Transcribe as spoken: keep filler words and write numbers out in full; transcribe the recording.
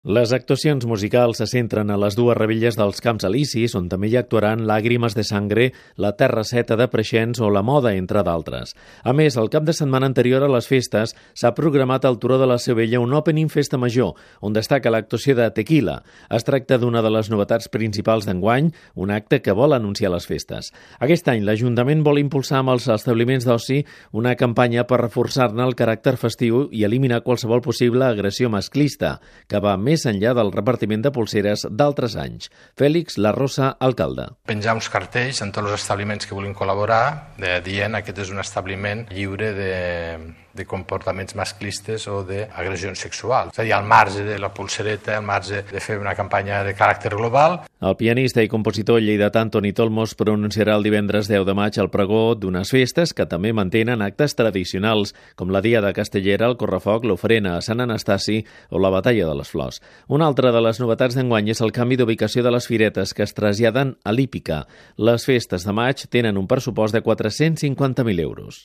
Les actuacions musicals se centren a les dues revilles dels Camps Elisis, on també hi actuaran Làgrimes de Sangre, La Terra Seta de Preixens o La Moda, entre d'altres. A més, el cap de setmana anterior a les festes s'ha programat al Turó de la Seu Vella un Opening Festa Major, on destaca l'actuació de Tequila. Es tracta d'una de les novetats principals d'enguany, un acte que vol anunciar les festes. Aquest any l'Ajuntament vol impulsar amb els establiments d'oci una campanya per reforçar-ne el caràcter festiu i eliminar qualsevol possible agressió masclista, que va més més enllà del repartiment de pulseres d'altres anys. Fèlix Larrosa, alcalde. Penjar uns cartells en tots els establiments que vulguin col·laborar, de, dient que aquest és un establiment lliure de, de comportaments masclistes o d'agressions sexuals. És a dir, al marge de la pulsereta, al marge de fer una campanya de caràcter global. El pianista i compositor lleidatà Antoni Tolmos pronunciarà el divendres deu de maig el pregó d'unes festes que també mantenen actes tradicionals, com la Diada Castellera, el Correfoc, l'Ofrena a Sant Anastasi o la Batalla de les Flors. Una altra de les novetats d'enguany és el canvi d'ubicació de les firetes que es traslladen a l'Hípica. Les festes de maig tenen un pressupost de quatre-cents cinquanta mil euros.